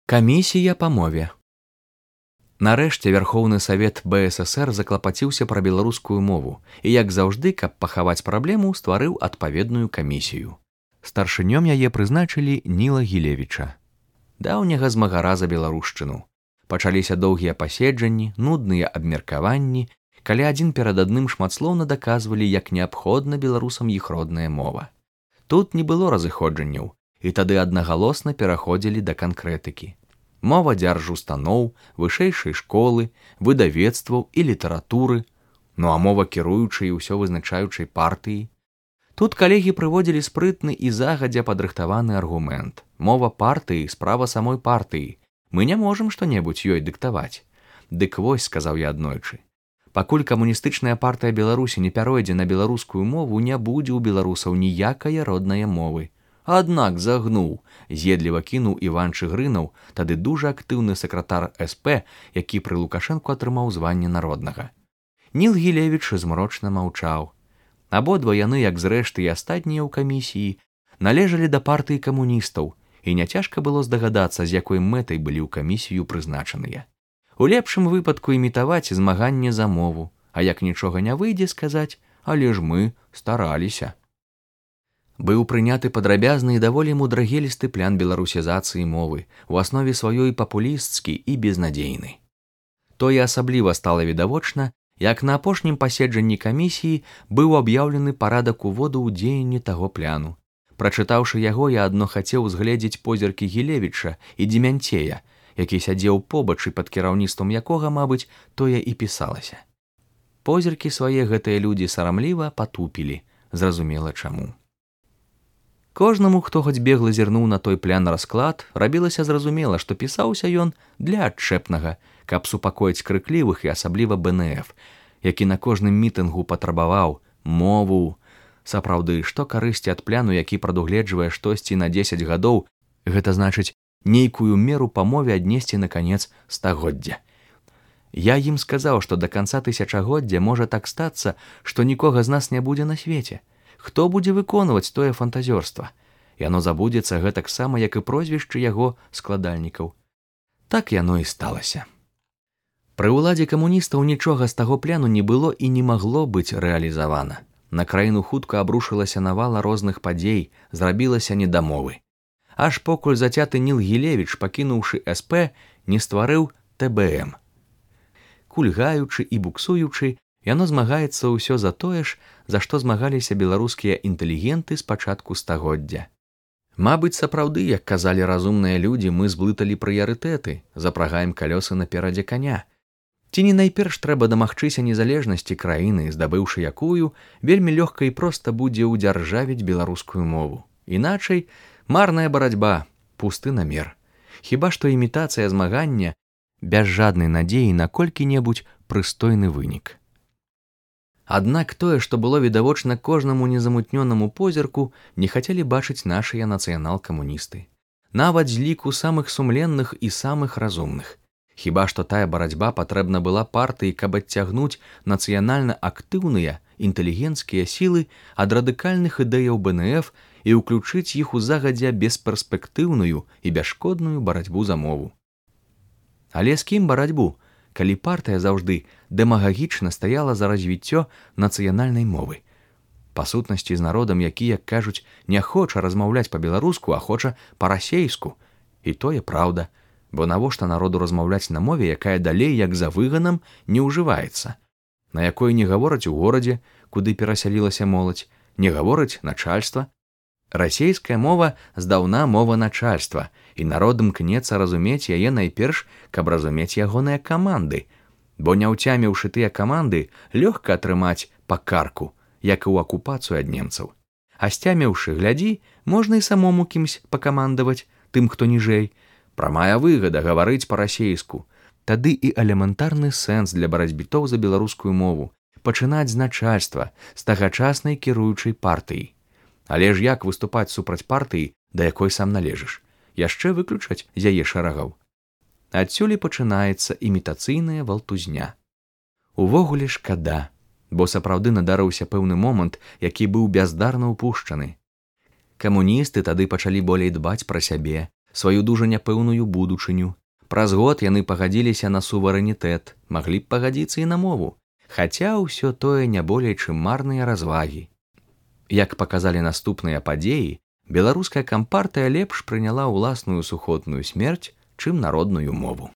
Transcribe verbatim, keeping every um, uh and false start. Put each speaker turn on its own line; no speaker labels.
Камісія па мове. Нарэшце Вярхоўны Савет БССР заклапаціўся пра беларускую мову і, як заўжды, каб пахаваць праблему, стварыў адпаведную камісію. Старшынём яе прызначылі Ніла Гілевіча, даўняга змагара за беларушчыну. Пачаліся доўгія паседжанні, нудныя абмеркаванні, калі адзін перад адным шматслоўна даказвалі, як неабходна беларусам іх родная мова. Тут не было разыходжанняў, і тады аднагалосна пераходзілі да канкрэтыкі. Мова дзяржустаноў, вышэйшай школы, выдавецтваў і літаратуры, ну а мова кіруючай і ўсё вызначаючай партыі. Тут калегі прыводзілі спрытны і загадзя падрыхтаваны аргумент. Мова партыі, справа самой партыі. Мы не можам што-небудзь ёй дыктаваць. Дык вось, сказаў я аднойчы, пакуль камуністычная партыя Беларусі не пяройдзе на беларускую мову, не будзе ў беларусаў ніякае роднае мовы. Аднак загнуў, з'едліва кінуў Іван Чыгрынаў, тады дужа актыўны сакратар СП, які пры Лукашэнку атрымаў званне народнага. Ніл Гілевіч змрочна маўчаў. Абодва яны, як зрэшты і астатнія ў камісіі, належалі да партыі камуністаў, і няцяжка было здагадацца, з якой мэтай былі ў камісію прызначаныя. У лепшым выпадку імітаваць змаганне за мову, а як нічога не выйдзе, сказаць, але ж мы стараліся. Быў прыняты падрабязны і даволі мудрагелісты план беларусізацыі мовы, у аснове сваёй папулісцкі і безнадзейны. Тое асабліва стала відавочна, як на апошнім паседжанні камісіі быў аб'яўлены парадак уводу ў дзеянне таго пляну. Прачытаўшы яго, я адно хацеў узгледзець позіркі Гілевіча і Дземянцея, які сядзеў побач і пад кіраўніцтвам якога, мабыць, тое і пісалася. Позіркі свае гэтыя людзі сарамліва патупілі, зразумела чаму. Кожнаму, хто хоць бегла зірнуў на той плян расклад, рабілася зразумела, што пісаўся ён для адчэпнага, каб супакоіць крыклівых і асабліва БНФ, які на кожным мітынгу патрабаваў мову. Сапраўды, што карысці ад пляну, які прадугледжвае штосьці на дзесяць гадоў, гэта значыць нейкую меру па мове аднесці на канец стагоддзя. Я ім сказаў, што да канца тысячагоддзя можа так стацца, што нікога з нас не будзе на свеце. Хто будзе выконваць тое фантазёрства? Яно забудзецца гэтаксама, як і прозвішчы яго складальнікаў. Так яно і сталася. Пры ўладзе камуністаў нічога з таго пляну не было і не магло быць рэалізавана. На краіну хутка абрушылася навала розных падзей, зрабілася недамовы. Аж покуль зацяты Ніл Гілевіч, пакінуўшы СП, не стварыў ТБМ. Кульгаючы і буксуючы, яно змагаецца ўсё за тое ж, за што змагаліся беларускія інтэлігенты з пачатку стагоддзя. Мабыць, сапраўды, як казалі разумныя людзі, мы зблыталі прыярытэты, запрагаем калёсы наперадзе каня. Ці не найперш трэба дамагчыся незалежнасці краіны, здабыўшы якую, вельмі лёгка і проста будзе ўдзяржавіць беларускую мову. Іначай, марная барацьба, пусты намер. Хіба што імітацыя змагання без жаднай надзеі на колькі-небудзь прыстойны вынік. Аднак тое, што было відавочна кожнаму незамутнёнаму позірку, не хацелі бачыць нашыя нацыянал-камуністы. Нават з ліку самых сумленных і самых разумных. Хіба што тая барацьба патрэбна была партыі, каб адцягнуць нацыянальна актыўныя, інтэлігенцкія сілы ад радыкальных ідэяў БНФ і ўключыць іх у загадзя бесперспектыўную і бясшкодную барацьбу за мову. Але з кім барацьбу, калі партыя заўжды дэмагагічна стаяла за развіццё нацыянальнай мовы? Па сутнасці з народам, які, як кажуць, не хоча размаўляць па-беларуску, а хоча па-расейску. І тое праўда, бо навошта народу размаўляць на мове, якая далей, як за выганам, не ўжываецца, на якой не гавораць у горадзе, куды перасялілася моладзь, не гаворыць начальства. Расейская мова здаўна мова начальства, і народ імкнецца разумець яе найперш, каб разумець ягоныя каманды, бо не ўцяміўшы тыя каманды, лёгка атрымаць па карку, як і ў акупацыю ад немцаў. А сцяміўшы, глядзі, можна і самому кімсь пакамандаваць, тым, хто ніжэй. Прамая выгада гаварыць па-расейску. Тады і элементарны сэнс для барацьбітоў за беларускую мову пачынаць з начальства, з тагачаснай кіруючай партыі. Але ж як выступаць супраць партыі, да якой сам належыш? Яшчэ выключаць з яе шарагаў. Адсюль і пачынаецца імітацыйная валтузня. Увогуле шкада, бо сапраўды надарыўся пэўны момант, які быў бяздарна ўпушчаны. Камуністы тады пачалі болей дбаць пра сябе, сваю дужа няпэўную будучыню. Праз год яны пагадзіліся на суверэнітэт, маглі б пагадзіцца і на мову, хаця ўсё тое не болей чым марныя развагі. Як паказалі наступныя падзеі, беларуская кампартыя лепш прыняла ўласную сухотную смерць, чым народную мову.